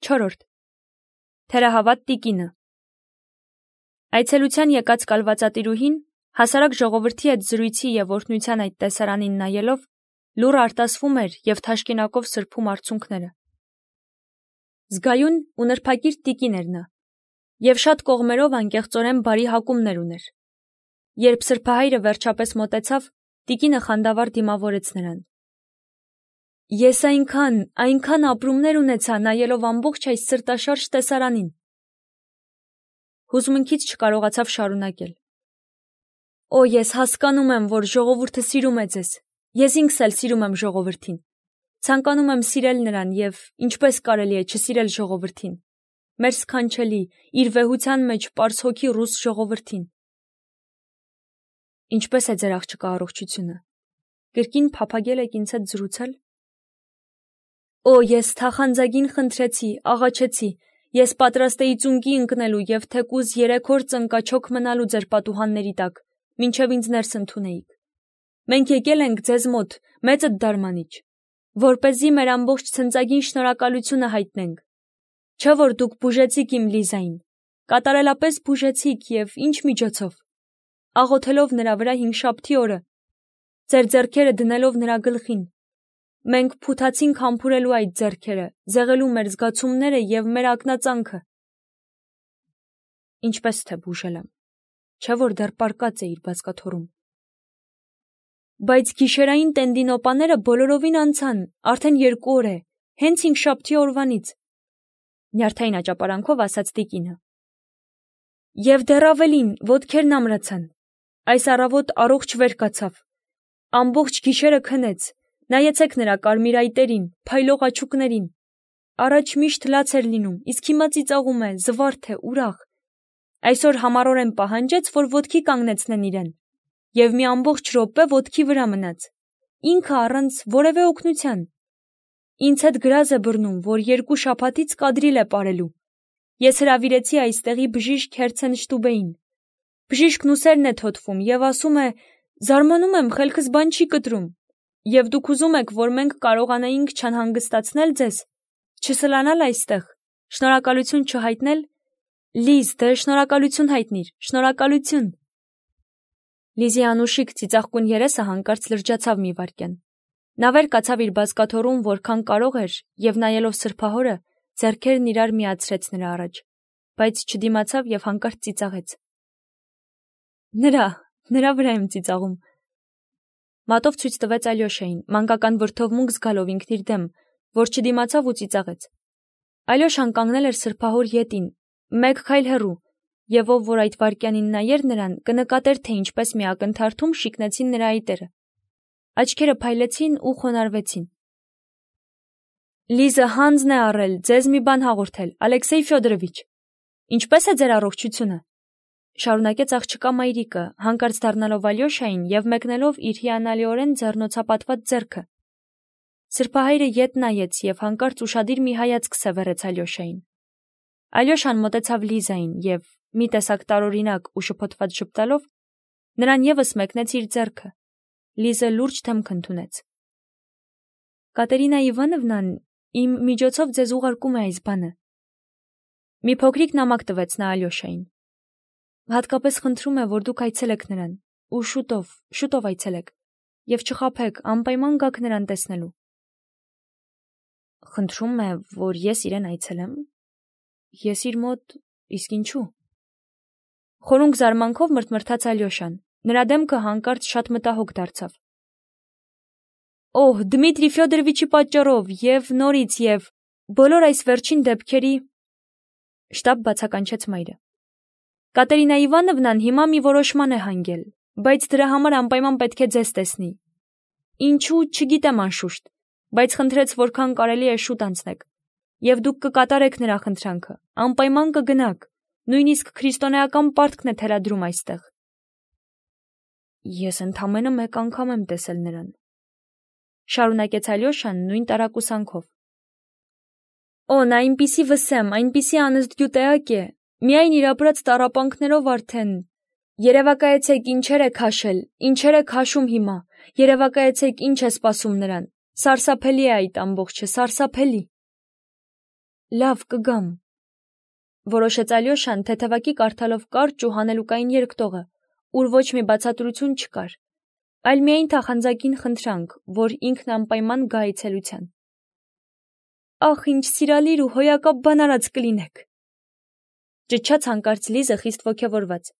4. Թերահավատ տիկինը։ Այցելության եկած կալվածատիրուհին հասարակ ժողովրդի հետ զրույցի և օրհնության այդ տեսարանին նայելով լուռ արտասվում էր և թաշկինակով սրբում արցունքները։ Զգայուն ու նրբակիրթ տիկին էր նա, և շատ կողմերով անկեղծորեն բարի հակումներ ուներ։ Երբ սրբահայրը վերջապես մոտեցավ, տիկինը խանդավառ դիմավորեց նրան. Ես այնքան ապրումներ ունեցա նայելով ամբողջ այս սրտաշարժ տեսարանին։ Հուզմունքից չկարողացավ շարունակել. Օ, ես հասկանում եմ, որ ժողովուրդը սիրում է ձեզ։ Ես ինքս էլ սիրում եմ ժողովրդին։ Ցանկանում եմ սիրել նրան և ինչպես կարելի է չսիրել ժողովրդին։ Մեր սքանչելի, իր վեհության մեջ պարզ հոգի ռուս ժողովրդին։ Ինչպես է ձեր աղջկա առողջությունը։ Կրկին փափագել եք ինձ հետ զրուցել։ Օ, ես թախանձագին խնդրեցի, աղաչեցի, ես պատրաստ էի ծունկի ընկնելու և թեկուզ 3 օր ծնկաչոք մնալու ձեր պատուհանների տակ, մինչև ինձ ներս ընդունեիք։ Մենք եկել ենք ձեզ մոտ, մեծդ դարմանիչ, որպեսզի մեր ամբողջ ցնծագին շնորհակալությունը հայտնենք։ Չէ՞ որ դուք բուժեցիք իմ Լիզային, կատարելապես բուժեցիք և ինչ միջոցով։ Աղոթելով նրա վրա հինգշաբթի օրը, ձեր ձեռքերը դնելով նրա գլխին։ Մենք փութացինք համբուրելու այդ ձեռքերը, զեղելու մեր զգացումները և մեր ակնածանքը։ Ինչպես թե բուժել եմ, չէ՞ որ դեռ պառկած է իր բազկաթոռում։ Բայց գիշերային տենդինոպաները բոլորովին անցան, արդեն 2 օր է, հենց հինգշաբթի օրվանից, նյարդային աճապարանքով ասաց տիկինը։ Եվ դեռ ավելին, ոտքերն ամրացան։ Այս առավոտ առողջ վեր կացավ։ Ամբողջ գիշերը քնեց։ Նայեցեք նրա կարմիր այտերին, փայլող աչուկներին։ Առաջ միշտ լաց էր լինում, իսկ հիմա ծիծաղում է, զվարթ է, ուրախ։ Այսօր համառորեն պահանջեց, որ ոտքի կանգնեցնեն իրեն, և մի ամբողջ րոպե ոտքի վրա մնաց, ինքը առանց որևէ օգնության։ Ինձ հետ գրազ է բռնում, որ 2 շաբաթից կադրիլ է պարելու։ Ես հրավիրեցի այստեղի բժիշկ Հերցեն Շտուբեին։ Բժիշկն ուսերն է թոթվում և ասում է. զարմանում եմ, խելքս բան չի կտրում։ Եվ դուք ուզում եք, որ մենք կարողանայինք չանհանգստացնել ձեզ, չսլանալ այստեղ, շնորհակալություն չհայտնել։ Լիզ, դե շնորհակալություն հայտնիր, շնորհակալություն։ Լիզի անուշիկ ծիծաղկուն երեսը հանկարծ լրջացավ մի վայրկյան։ Նա վեր կացավ իր բազկաթոռում որքան կարող էր և նայելով սրբահորը, ձեռքերն իրար միացրեց նրա առաջ, բայց չդիմացավ և հանկարծ ծիծաղեց։ Նրա վրա եմ ծիծաղում։ Մատով ցույց տվեց Ալյոշային, մանկական վրդովմունք զգալով ինքն իր դեմ, որ չդիմացավ ու ծիծաղեց։ Ալյոշան կանգնել էր սրբահոր ետին, 1 քայլ հեռու, և ով որ այդ վայրկյանին նայեր նրան, կնկատեր, թե ինչպես մի ակնթարթում շիկնեցին նրա այտերը։ Աչքերը փայլեցին ու խոնարհվեցին։ Լիզը հանձն է առել ձեզ մի բան հաղորդել, Ալեքսեյ Ֆյոդորովիչ։ Ինչպես է ձեր առողջությունը։ Շարունակեց աղջկա մայրիկը, հանկարծ դառնալով Ալյոշային և մեկնելով իր հիանալիորեն ձեռնոցապատված ձեռքը։ Սրբահայրը ետ նայեց և հանկարծ ուշադիր մի հայացք սևեռեց Ալյոշային։ Ալյոշան մոտեցավ Լիզային և, մի տեսակ տարօրինակ ու շփոթված ժպտալով, նրան ևս մեկնեց իր ձեռքը։ Լիզը լուրջ դեմք ընդունեց։ Կատերինա Իվանովնան իմ միջոցով ձեզ ուղարկում է այս բանը։ Մի փոքրիկ նամակ տվեց նա Ալյոշային։ Հատկապես խնդրում է, որ դուք այցելեք նրան, ու շուտով այցելեք, և չխաբեք, անպայման գաք նրան տեսնելու։ Խնդրում է, որ ես իրեն այցելեմ։ Ես իր մոտ, իսկ ինչու։ Խորունկ զարմանքով մրթմրթաց Ալյոշան, նրա դեմքը հանկարծ շատ մտահոգ դարձավ։ Օհ, Դմիտրի Ֆյոդորովիչի պատճառով և նորից և բոլոր այս վերջին դեպքերի… Շտապ բացականչեց մայրը։ Կատերինա Իվանովնան հիմա մի որոշման է հանգել, բայց դրա համար անպայման պետք է ձեզ տեսնի։ Ինչու, չգիտեմ անշուշտ, բայց խնդրեց, որքան կարելի է շուտ անցնեք, և դուք կկատարեք նրա խնդրանքը, անպայման կգնաք, նույնիսկ քրիստոնեական պարտքն է թելադրում այստեղ։ Ես ընդամենը 1 անգամ եմ տեսել նրան, շարունակեց Ալյոշան նույն տարակուսանքով։ Օ, նա այնպիսի վսեմ, այնպիսի անընդգյուտեակ է, միայն իր ապրած տառապանքներով արդեն… Երևակայեցեք ինչեր է քաշել, ինչեր է քաշում հիմա, երևակայեցեք ինչ է սպասում նրան, սարսափելի է այդ ամբողջը, սարսափելի։ Լավ կգամ, որոշեց Ալյոշան թեթևակի կարդալով կարճ ու հանելուկային երկտողը, ուր ոչ մի բացատրություն չկար, այլ միայն թախանձակին խնդրանք, որ ինքն անպայման գա այցելության։ Ախ, ինչ սիրալիր ու հոյակապ բան արած կլինեք, ճչաց հանկարծ Լիզը խիստ ոգևորված։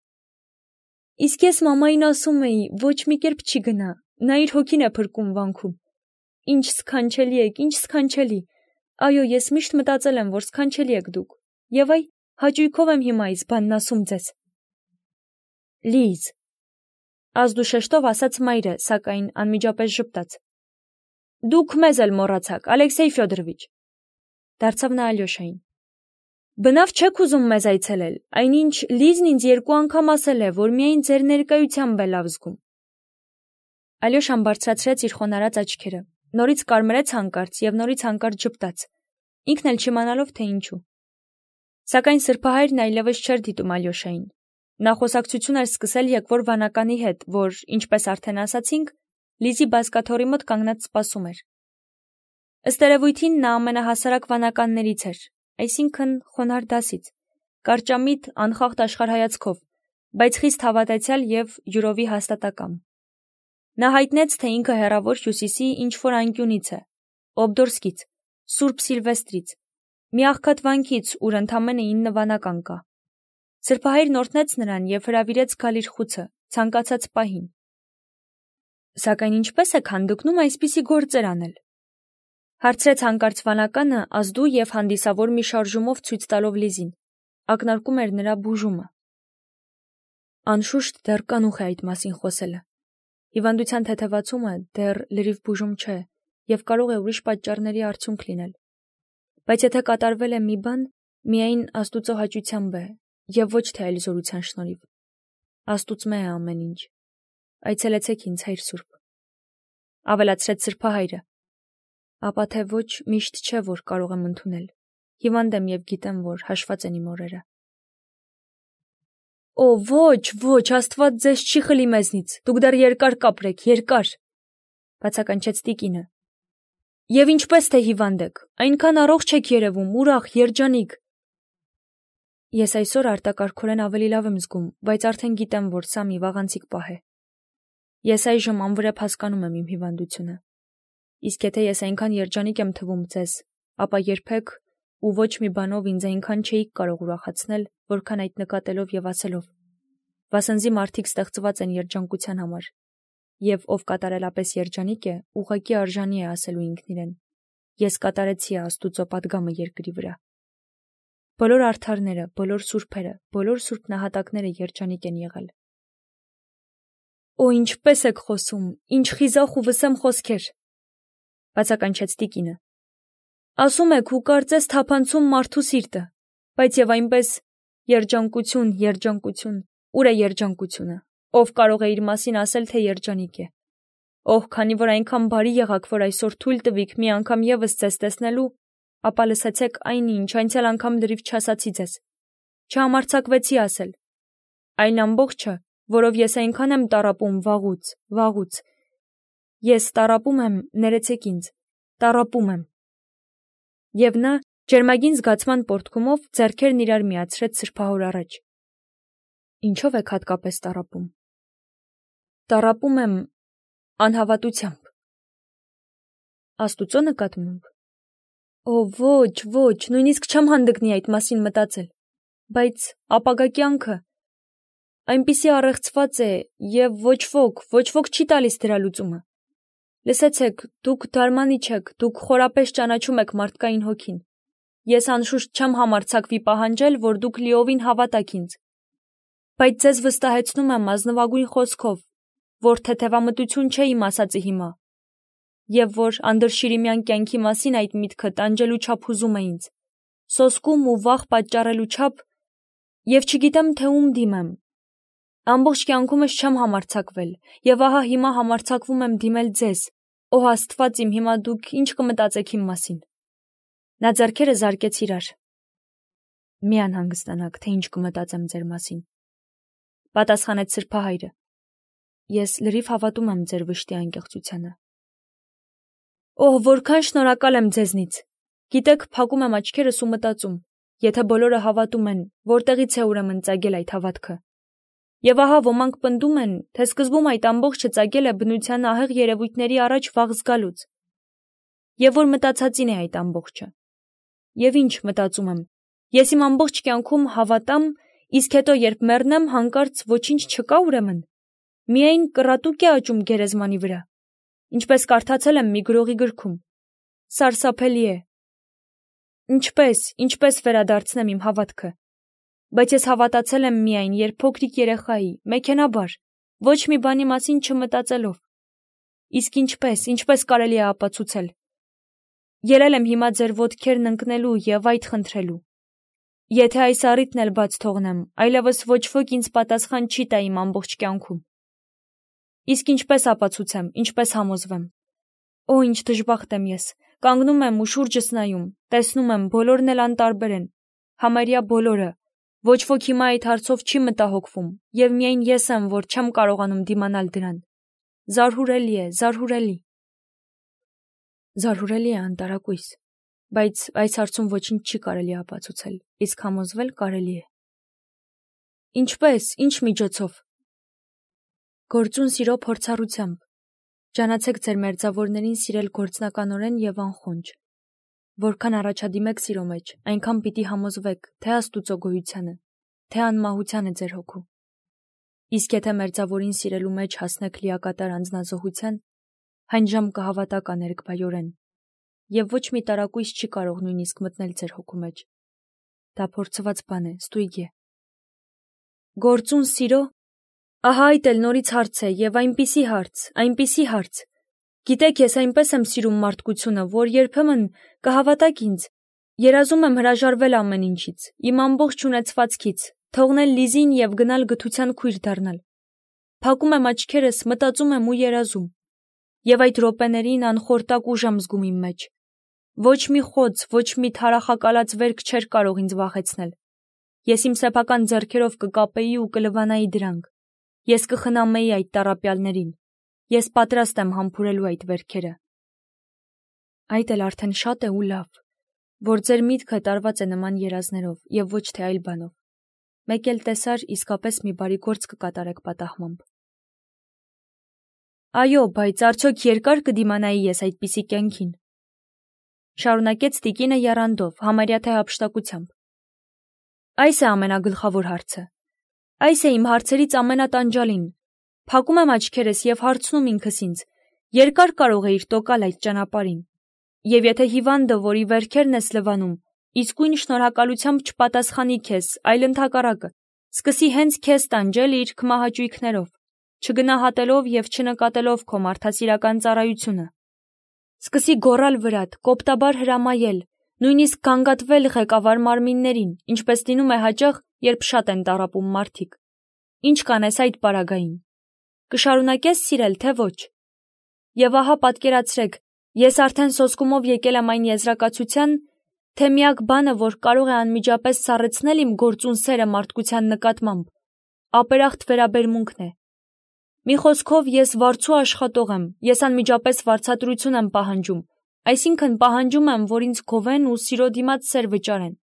Իսկ ես մամային ասում էի, ոչ մի կերպ չի գնա, նա իր հոգին է փրկում վանքում։ Ինչ սքանչելի եք, ինչ սքանչելի։ Այո, ես միշտ մտածել եմ, որ սքանչելի եք դուք։ Եվ այ, հաճույքով եմ հիմա այս բանն ասում ձեզ։ Լիզ, ազդուշեշտով ասաց մայրը, սակայն անմիջապես ժպտաց։ Դուք մեզ էլ մոռացաք, Ալեքսեյ Ֆյոդորովիչ, դարձավ նա Ալյոշային։ Բնավ չեք ուզում մեզ այցելել, այնինչ Լիզն ինձ 2 անգամ ասել է, որ միայն ձեր ներկայությամբ է լավ զգում։ Ալյոշան բարձրացրեց իր խոնարհած աչքերը, նորից կարմրեց հանկարծ եւ նորից հանկարծ ժպտաց, ինքն էլ չիմանալով թե ինչու։ Սակայն սրբահայրն այլևս չէր դիտում Ալյոշային։ Նա խոսակցություն էր սկսել եկվոր վանականի հետ, որ, ինչպես արդեն ասացինք, Լիզի բազկաթոռի մոտ կանգնած սպասում էր։ Ըստ երևույթին նա ամենահասարակ վանականներից էր, այսինքն խոնարհ դասից, կարճամիտ, անխախտ աշխարհայացքով, բայց խիստ հավատացյալ եւ յուրովի հաստատակամ։ Նա հայտնեց, թե ինքը հեռավոր հյուսիսի ինչ-որ անկյունից է, Օբդորսկից, Սուրբ Սիլվեստրից, մի աղքատ վանքից, ուր ընդամենը 9 վանական կա։ Սրբահայրն օրհնեց նրան եւ հրավիրեց գալ իր խուցը, ցանկացած պահին։ Սակայն ինչպես եք հանդգնում այսպիսի գործեր անել, հարցրեց հանկարծ վանականը ազդու եւ հանդիսավոր մի շարժումով ցույց տալով Լիզին, ակնարկում էր նրա բուժումը։ Անշուշտ դեռ կանուխ է այդ մասին խոսելը։ Հիվանդության թեթևացումը դեռ լրիվ բուժում չէ եւ կարող է ուրիշ պատճառների արդյունք լինել։ Բայց եթե կատարվել է մի բան, միայն Աստուծո հաճությամբ է եւ ոչ թե այլ զորության շնորհիվ։ Աստուծմե է ամեն ինչ։ Այցելեցեք ինձ, Հայր Սուրբ, ավելացրեց սրբահայրը։ Ապա թե ոչ միշտ չէ, որ կարող եմ ընդունել։ Հիվանդ եմ եւ գիտեմ, որ հաշված են իմ օրերը։ Օ, ոչ, Աստված ձեզ չի խլի մեզնից, դուք դեռ երկար կապրեք, երկար, բացականչեց տիկինը։ Եվ ինչպես թե հիվանդ եք, այնքան առողջ եք երևում, ուրախ, երջանիկ։ Ես այսօր արտակարգորեն ավելի լավ եմ զգում, բայց արդեն գիտեմ, որ սա մի վաղանցիկ պահ է։ Ես այժմ անվրեպ հասկանում եմ իմ հիվանդությունը։ Իսկ եթե ես այնքան երջանիկ եմ թվում ձեզ, ապա երբեք ու ոչ մի բանով ինձ այնքան չէիք կարող ուրախացնել, որքան այդ նկատելով եւ ասելով։ Վասնզի մարդիկ ստեղծված են երջանկության համար, եւ ով կատարելապես երջանիկ է, ուղղակի արժանի է ասելու ինքն իրեն. ես կատարեցի Աստուծո պատգամը երկրի վրա։ Բոլոր արդարները, բոլոր սուրբերը, բոլոր սուրբ նահատակները երջանիկ են եղել։ Օ, ինչպես եք խոսում, ինչ խիզախ ու վսեմ խոսքեր, բացականչեց տիկինը։ Ասում եք ու կարծես թափանցում մարդու սիրտը, բայց եւ այնպես երջանկություն, ուր է երջանկությունը, ով կարող է իր մասին ասել, թե երջանիկ է։ Օհ, քանի որ այնքան բարի եղաք, որ այսօր թույլ տվիք մի անգամ եւս ձեզ տեսնելու, ապա լսեցեք այնինչ անցյալ անգամ լրիվ չասացի ձեզ։ Չհամարձակվեցի ասել։ Այն ամբողջը, որով ես այնքան եմ տառապում վաղուց։ Ես տառապում եմ, ներեցեք ինձ, տառապում եմ։ Եվ նա ջերմագին զգացման պոռթկումով ձեռքերն իրար միացրեց սրբահոր առաջ։ Ինչով եք հատկապես տառապում։ Տառապում եմ անհավատությամբ։ Աստուծո նկատմամբ։ Օ, ոչ, նույնիսկ չեմ հանդգնի այդ մասին մտածել, բայց ապագա կյանքը այնպիսի առեղծված է եւ ոչ ոք չի տալիս դրա լուծումը։ Լսեցեք, դուք դարմանի չեք, դուք խորապես ճանաչում եք մարդկային հոգին։ Ես անշուշտ չեմ համարձակվի պահանջել, որ դուք լիովին հավատաք ինձ, բայց ձեզ վստահեցնում եմ ազնվագույն խոսքով, որ թեթևամտություն չէ իմ ասածը հիմա, եւ որ անդրշիրիմյան կյանքի մասին այդ միտքը տանջելու չափ հուզում է ինձ, սոսկում ու վախ պատճառելու չափ, եւ չգիտեմ, թե ում դիմեմ։ Ամբողջ կյանքումս չեմ համարձակվել, եւ ահա հիմա համարձակվում եմ դիմել ձեզ։ Օ Աստված իմ, հիմա դուք ինչ կմտածեք իմ մասին։ Նա ձեռքերը զարկեց իրար։ Մի անհանգստանաք, թե ինչ կմտածեմ ձեր մասին, պատասխանեց սրբահայրը։ Ես լրիվ հավատում եմ ձեր վշտի անկեղծությանը։ Օհ, որքան շնորհակալ եմ ձեզնից, Գիտեք, փակում եմ աչքերս ու մտածում, եթե բոլորը հավատում են, որտեղից է ուրեմն ծագել այդ հավատքը։ Եվ ահա ոմանք պնդում են, թե սկզբում այդ ամբողջը ծագել է բնության ահեղ երևույթների առաջ վաղ զգալուց։ Եվ որ մտածածին է այդ ամբողջը։ Եվ ինչ մտածում եմ, ես իմ ամբողջ կյանքում հավատամ, իսկ հետո երբ մեռնեմ, հանկարծ ոչինչ չկա ուրեմն։ Միայն կռատուկ է աճում գերեզմանի վրա, ինչպես կարդացել եմ մի գրողի գրքում։ Սարսափելի է։ Ինչպես վերադարձնեմ իմ հավատքը։ Բայց ես հավատացել եմ միայն, երբ փոքրիկ երեխայի, մեքենաբար, ոչ մի բանի մասին չմտածելով։ Իսկ ինչպես կարելի է ապացուցել։ Ելել եմ հիմա ձեր ոտքերն ընկնելու եւ այդ խնդրելու։ Եթե այս առիթն էլ բաց թողնեմ, այլևս ոչ ոք ինձ պատասխան չի տա իմ ամբողջ կյանքում։ Իսկ ինչպես ապացուցեմ, ինչպես համոզվեմ։ Օ, ինչ դժբախտ եմ ես։ Կանգնում եմ ու շուրջս նայում, տեսնում եմ, բոլորն էլ անտարբեր են, համարյա բոլորը։ Ոչ ոք հիմա այդ հարցով չի մտահոգվում, եւ միայն ես եմ, որ չեմ կարողանում դիմանալ դրան։ Զարհուրելի է, զարհուրելի։ Զարհուրելի է անտարակույս, բայց այս հարցում ոչինչ չի կարելի ապացուցել, իսկ համոզվել կարելի է։ Ինչպես, ինչ միջոցով։ Գործուն սիրո փորձառությամբ։ Ջանացեք ձեր մերձավորներին սիրել գործնականորեն եւ անխոնջ։ Որքան առաջադիմեք սիրո մեջ, այնքան պիտի համոզվեք, թե Աստուծո գոյությանը, թե անմահությանը ձեր հոգու։ Իսկ եթե մերձավորին սիրելու մեջ հասնեք լիակատար անձնազոհության, հայն ժամ կհավատաք աներկբայորեն, եւ ոչ մի տարակույս չի կարող նույնիսկ մտնել ձեր հոգու մեջ։ Դա փորձված բան է, ստույգ է։ Գործուն սիրո։ Ահա այդ էլ նորից հարց է, եւ այնպիսի հարց։ Գիտեք, ես այնպես եմ սիրում մարդկությունը, որ երբեմն կհավատաք ինձ, երազում եմ հրաժարվել ամեն ինչից, իմ ամբողջ ունեցվածքից, թողնել Լիզին եւ գնալ գթության քույր դառնալ։ Փակում եմ աչքերս, մտածում եմ ու երազում։ Եվ այդ րոպեներին անխորտակ ուժ եմ զգում իմ մեջ։ Ոչ մի խոց, ոչ մի թարախակալած վերք չէր կարող ինձ վախեցնել։ Ես իմ սեփական ձեռքերով կկապեի ու կլվանայի դրանք։ Ես կխնամեի այդ տառապյալներին։ Ես պատրաստ եմ համբուրելու այդ վերքերը։ Այդ էլ արդեն շատ է ու լավ, որ ձեր միտքը տարված է նման երազներով եւ ոչ թե այլ բանով։ Մեկ էլ տեսար, իսկապես մի բարի գործ կկատարեք պատահմամբ։ Այո, բայց արդյոք երկար կդիմանայի ես այդպիսի կյանքին։ Շարունակեց տիկինը եռանդով, համարյա թե հափշտակությամբ։ Այս է ամենագլխավոր հարցը։ Այս է իմ հարցերից ամենատանջալին։ Փակում եմ աչքերս եւ հարցնում ինքս ինձ. երկար կարող էիր տոկալ այդ ճանապարհին։ Եվ եթե հիվանդը, որի վերքերն ես լվանում, իսկույն շնորհակալությամբ չպատասխանի քեզ, այլ ընդհակառակը, սկսի հենց քեզ տանջել իր քմահաճույքներով, չգնահատելով եւ չնկատելով քո մարդասիրական ծառայությունը։ Սկսի գոռալ վրադ, կոպտաբար հրամայել, նույնիսկ գանգատվել ղեկավար մարմիններին, ինչպես լինում է հաճախ, երբ շատ են տառապում մարդիկ։ Ինչ կանես այդ պարագային։ Կշարունակես սիրել, թե ոչ։ Եվ ահա պատկերացրեք, ես արդեն սոսկումով եկել եմ այն եզրակացության, թե միակ բանը, որ կարող է անմիջապես սառեցնել իմ գործուն սերը մարդկության նկատմամբ, ապերախտ վերաբերմունքն է։ Մի խոսքով, ես վարձու աշխատող եմ, ես անմիջապես վարձատրություն եմ պահանջում, այսինքն պահանջում եմ, որ ինձ գովեն ու սիրո դիմաց սեր վճարեն,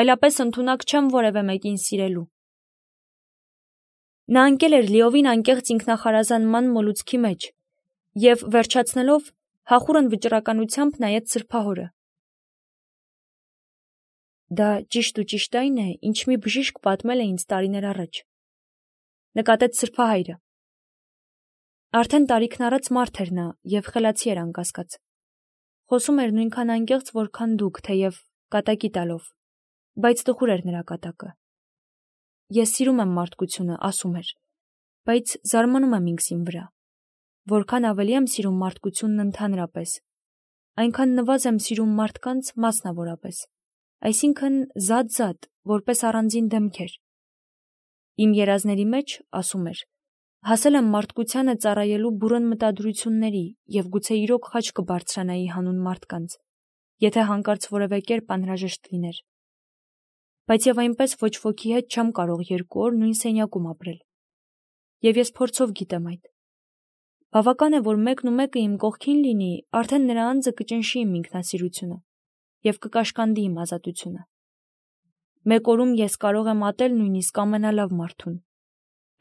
այլապես ընդունակ չեմ որևէ մեկին սիրելու։ Նա ընկել էր լիովին անկեղծ ինքնախարազանման մոլուցքի մեջ եւ վերջացնելով հախուռն վճռականությամբ նայեց սրբահորը։ Դա ճիշտ այն է, ինչ մի բժիշկ պատմել է ինձ տարիներ առաջ, նկատեց սրբահայրը։ Արդեն տարիքն առած մարդ էր նա եւ խելացի էր անկասկած։ Խոսում էր նույնքան անկեղծ, որքան դուք, թեև կատակի տալով, բայց տխուր էր նրա կատակը։ Ես սիրում եմ մարդկությունը, ասում էր, բայց զարմանում եմ ինքս իմ վրա։ Որքան ավելի եմ սիրում մարդկությունն ընդհանրապես, այնքան նվազ եմ սիրում մարդկանց մասնավորապես, այսինքն զատ, որպես առանձին դեմքեր։ Իմ երազների մեջ, ասում էր, հասել եմ մարդկությանը ծառայելու բուռն մտադրությունների եւ գուցե իրոք խաչ կբարձրանայի հանուն մարդկանց, եթե հանկարծ որևէ կերպ անհրաժեշտ լիներ։ Բայց եւ այնպես ոչ ոքի հետ չեմ կարող 2 օր նույն սենյակում ապրել։ Եվ ես փորձով գիտեմ այդ։ Բավական է, որ մեկն ու մեկը իմ կողքին լինի, արդեն նրա անձը կճնշի իմ ինքնասիրությունը։ եւ կկաշկանդի իմ ազատությունը։ Մեկ օրում ես կարող եմ ատել նույնիսկ ամենալավ մարդուն։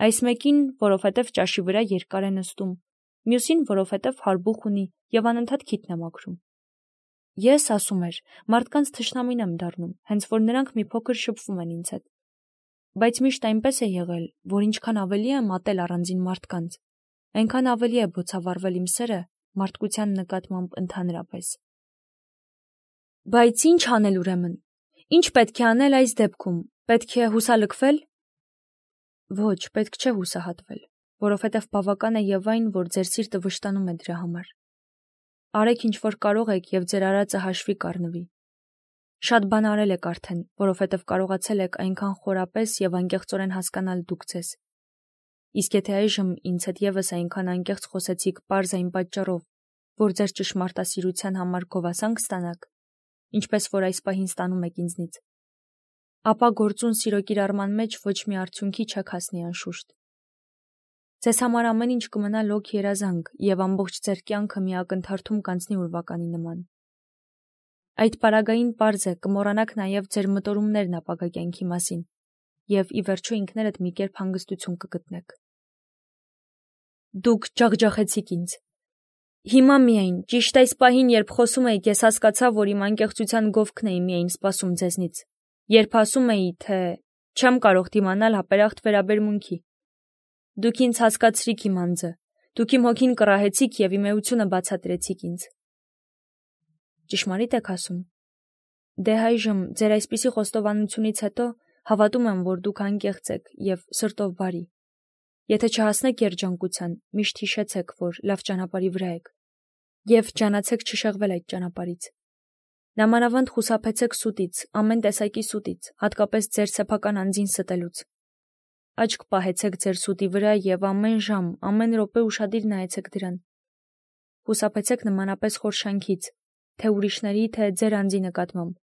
Այս մեկին, որովհետև ճաշի վրա երկար է նստում, մյուսին, որովհետև հարբուխ ունի եւ անընդհատ քիթն է մաքրում։ Ես, ասում էր, մարդկանց թշնամին եմ դառնում, հենց որ նրանք մի փոքր շփվում են ինձ հետ։ Բայց միշտ այնպես է եղել, որ ինչքան ավելի եմ ատել առանձին մարդկանց, այնքան ավելի է բոցավառվել իմ սերը մարդկության նկատմամբ ընդհանրապես։ Բայց ինչ անել ուրեմն։ Ինչ պետք է անել այս դեպքում։ Պետք է հուսալքվել։ Ոչ, պետք չէ հուսահատվել, որովհետև բավական է եւ այն, որ ձեր սիրտը վշտանում է դրա համար։ Արեք ինչ որ կարող եք եւ ձեր արածը հաշվի կառնվի։ Շատ բան արել եք արդեն, որովհետև կարողացել եք այնքան խորապես եւ անկեղծորեն հասկանալ դուք ձեզ։ Իսկ եթե այժմ ինձ հետ եւս այնքան անկեղծ խոսեցիք պարզ այն պատճառով, որ ձեր ճշմարտասիրության համար գովասանք ստանաք, ինչպես որ այս պահին ստանում եք ինձնից, ապա գործուն սիրո կիրառման մեջ ոչ մի արդյունքի չեք հասնի անշուշտ։ Ձեզ համար ամեն ինչ կմնա լոկ երազանք եւ ամբողջ ձեր կյանքը մի ակնթարթում կանցնի ուրվականի նման։ Այդ պարագային պարզ է կմոռանաք նաեւ ձեր մտորումներն ապագա կյանքի մասին եւ ի վերջո ինքներդ մի կերպ հանգստություն կգտնեք։ Դուք ջախջախեցիք ինձ։ Հիմա միայն, ճիշտ այս պահին, երբ խոսում էիք, ես հասկացա, որ իմ անկեղծության գովքն էի միայն սպասում ձեզնից, երբ ասում էի, թե չեմ կարող դիմանալ հապերախտ վերաբերմունքի։ Դուք ինձ հասկացրիք իմ անձը, դուք իմ հոգին կռահեցիք եւ իմ էությունը բացատրեցիք ինձ։ Ճշմարիտ եք ասում։ Դե այժմ ձեր այսպիսի խոստովանությունից հետո հավատում եմ, որ դուք անկեղծ եք եւ սրտով բարի։ Եթե չհասնեք երջանկության, միշտ հիշեցեք, որ լավ ճանապարհի վրա եք եւ ճանաչեք չշեղվել այդ ճանապարհից։ Նամանավանդ խուսափեցեք սուտից, ամեն տեսակի սուտից, հատկապես ձեր սեփական անձին ստելուց։ Աչք պահեցեք ձեր սուտի վրա եւ ամեն ժամ, ամեն րոպե ուշադիր նայեցեք դրան։ Խուսափեցեք նմանապես խորշանքից, թե ուրիշների, թե ձեր անձի նկատմամբ։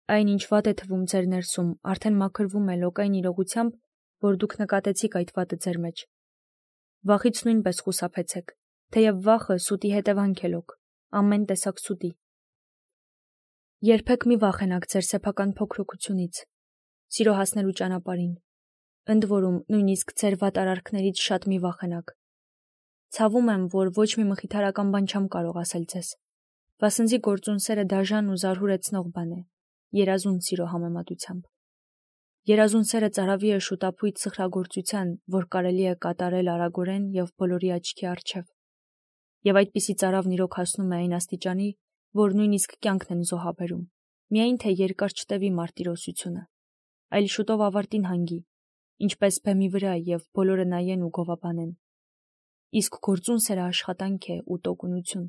Այն ինչ վատ է թվում ձեր ներսում, արդեն մաքրվում է լոկային իրողությամբ, որ դուք նկատեցիք այդ վատը ձեր մեջ։ Վախից նույնպես խուսափեցեք, թեև վախը սուտի հետևանք է լոկ, ամեն տեսակ սուտի։ Երբեք մի վախենաք ձեր սեփական փոքրությունից, սիրո հասնելու ճանապարհին։ Ընդ որում, նույնիսկ ձեր վատ արարքներից շատ մի վախենաք։ Ցավում եմ, որ ոչ մի մխիթարական բան չեմ կարող ասել ձեզ։ Վասնզի գործուն սերը դաժան ու զարհուրեցնող բան է, երազուն սիրո համեմատությամբ։ Երազուն սերը ծարավի է շուտափույթ սխրագործության, որ կարելի է կատարել արագորեն եւ բոլորի աչքի առջև։ Եվ այդպիսի ծարավն իրոք հասնում է այն աստիճանի, որ նույնիսկ կյանքն են զոհաբերում, միայն թե երկար չտևի մարտիրոսությունը, այլ շուտով ավարտին հանգի, ինչպես բեմի վրա եւ բոլորը նայեն ու գովաբանեն։ Իսկ գործուն սերը աշխատանք է ու տոկունություն,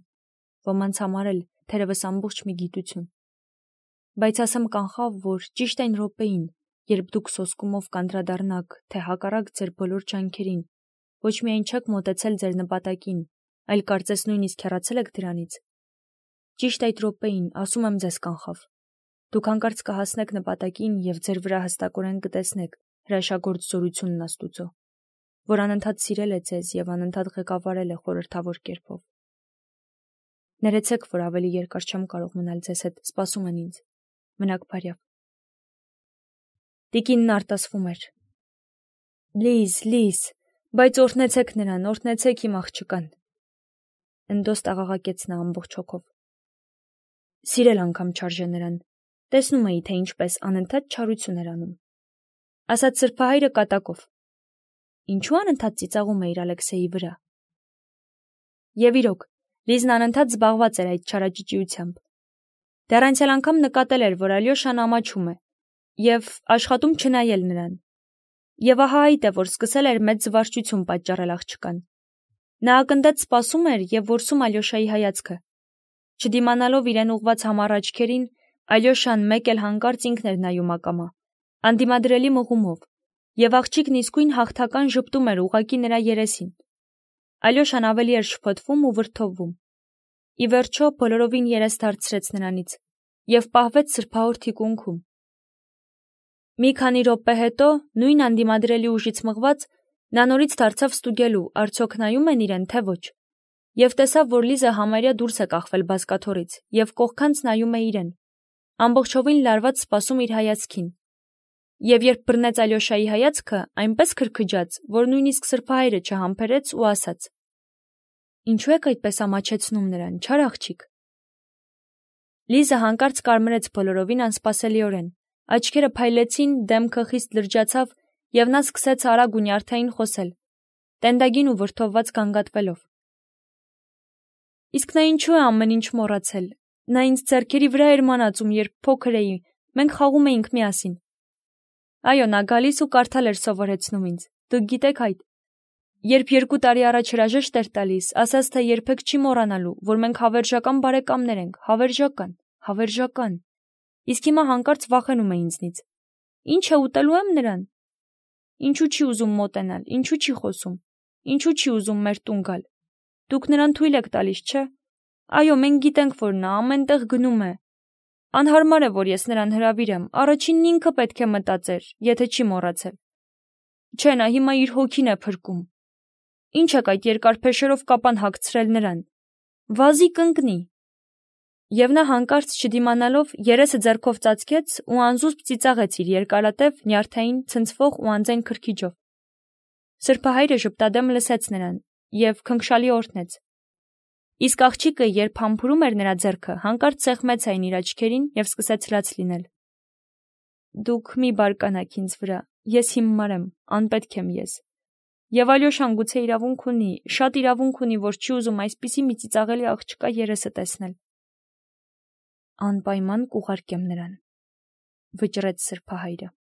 ոմանց համար էլ թերևս ամբողջ մի գիտություն։ Բայց ասեմ կանխավ, որ ճիշտ այն րոպեին, երբ դուք սոսկումով կանդրադառնաք, թե հակառակ ձեր բոլոր ջանքերին, ոչ միայն չեք մոտեցել ձեր նպատակին, այլ կարծես նույնիսկ հեռացել եք դրանից։ Ճիշտ այդ րոպեին, ասում եմ ձեզ կանխավ, դուք հանկարծ կհասնեք նպատակին եւ ձեր վրա հստակորեն կտեսնեք հրաշագործ զորությունն Աստուծո, որ անընդհատ սիրել է ձեզ եւ անընդհատ ղեկավարել է խորհրդավոր կերպով։ Ներեցեք, որ ավելի երկար չեմ կարող մնալ ձեզ հետ, սպասում են ինձ։ Մնաք բարյավ։ Տիկինն արտասվում էր։ Լիզ, բայց օրհնեցեք նրան, օրհնեցեք իմ աղջկան։ Ընդոստ աղաղակեց նա ամբողջ հոգով։ Սիրել անգամ չարժե նրան։ Տեսնում էի, թե ինչպես անընդհատ չարություն էր անում։ Ասաց սրբահայրը կատակով։ Ինչու անընդհատ ծիծաղում է իր Ալեքսեյի վրա։ Եվ իրոք, Լիզն անընդհատ զբաղված էր այդ չարաճճիությամբ։ Դեռ անցյալ անգամ նկատել էր, որ Ալյոշան ամաչում է եւ աշխատում չնայել նրան։ Եվ ահա այդ է, որ սկսել էր մեծ զվարճություն պատճառել աղջկան։ Նա ակնտած սպասում էր եւ որսում Ալյոշայի հայացքը։ Չդիմանալով իրեն ուղված համառ աչքերին, Ալյոշան մեկ էլ հանկարծ ինքն էր նայում ակամա, անդիմադրելի մղումով, եւ աղջիկն իսկույն հաղթական ժպտում էր ուղակի նրա երեսին։ Ալյոշան ավելի էր շփոթվում ու վրդովվում։ Ի վերջո բոլորովին երես դարձրեց նրանից եւ պահվեց սրբահոր թիկունքում։ Մի քանի րոպե հետո, նույն անդիմադրելի ուժից մղված, նա նորից դարձավ ստուգելու, արդյոք նայում են իրեն, թե ոչ, եւ տեսավ, որ Լիզը համարյա դուրս է կախվել բազկաթոռից եւ կողքանց նայում է իրեն։ ամբողջովին լարված սպասում իր հայացքին։ Եվ երբ բռնեց Ալյոշայի հայացքը, այնպես քրքջաց, որ նույնիսկ սրբահայրը չհամբերեց ու ասաց. «Ինչու եք այդպես ամաչեցնում նրան, չար աղջիկ»։ Լիզը հանկարծ կարմրեց բոլորովին անսպասելիորեն, աչքերը փայլեցին, դեմքը խիստ լրջացավ, եւ նա սկսեց արագ ու նյարդային խոսել, տենդագին ու վրդովված գանգատվելով. «Իսկ նա ինչու է ամեն ինչ մոռացել։ Նա ինձ ձեռքերի վրա էր մանածում, երբ փոքր էի, մենք խաղում էինք միասին։ Այո, նա գալիս ու կարդալ էր սովորեցնում ինձ, դուք գիտեք այդ։ Երբ 2 տարի առաջ հրաժեշտ էր տալիս, ասաց, թե երբեք չի մոռանալու, որ մենք հավերժական բարեկամներ ենք, հավերժական։ Իսկ հիմա հանկարծ վախենում է ինձնից։ Ինչ է, ուտելու եմ նրան։ Ինչու չի ուզում մոտենալ, ինչու չի խոսում, ինչու չի ուզում մեր տուն գալ։ Դուք նրան թույլ եք տալիս, չէ։ Այո, մենք գիտենք, որ նա ամենտեղ գնում է։ Անհարմար է, որ ես նրան հրավիրեմ, առաջինն ինքը պետք է մտածեր, եթե չի մոռացել։ Չէ, նա հիմա իր հոգին է փրկում։ Ինչ եք այդ երկար փեշերով կապան հագցրել նրան։ Վազի կընկնի։ Եվ նա հանկարծ չդիմանալով երեսը ձեռքով ծածկեց ու անզուսպ ծիծաղեց իր երկարատև, նյարդային, ցնցվող ու անձայն քրքիջով։ Սրբահայրը ժպտադեմ լսեց նրան եւ քնքշալի օրհնեց։ Իսկ աղջիկը, երբ համբուրում էր նրա ձեռքը, հանկարծ սեղմեց այն իր աչքերին եւ սկսեց լաց լինել։ Դուք մի բարկանաք ինձ վրա, ես հիմար եմ, անպետք եմ ես։ Եվ Ալյոշան գուցե իրավունք ունի, շատ իրավունք ունի, որ չի ուզում այսպիսի մի ծիծաղելի աղջկա երեսը տեսնել։ Անպայման կուղարկեմ նրան, վճռեց սրբահայրը։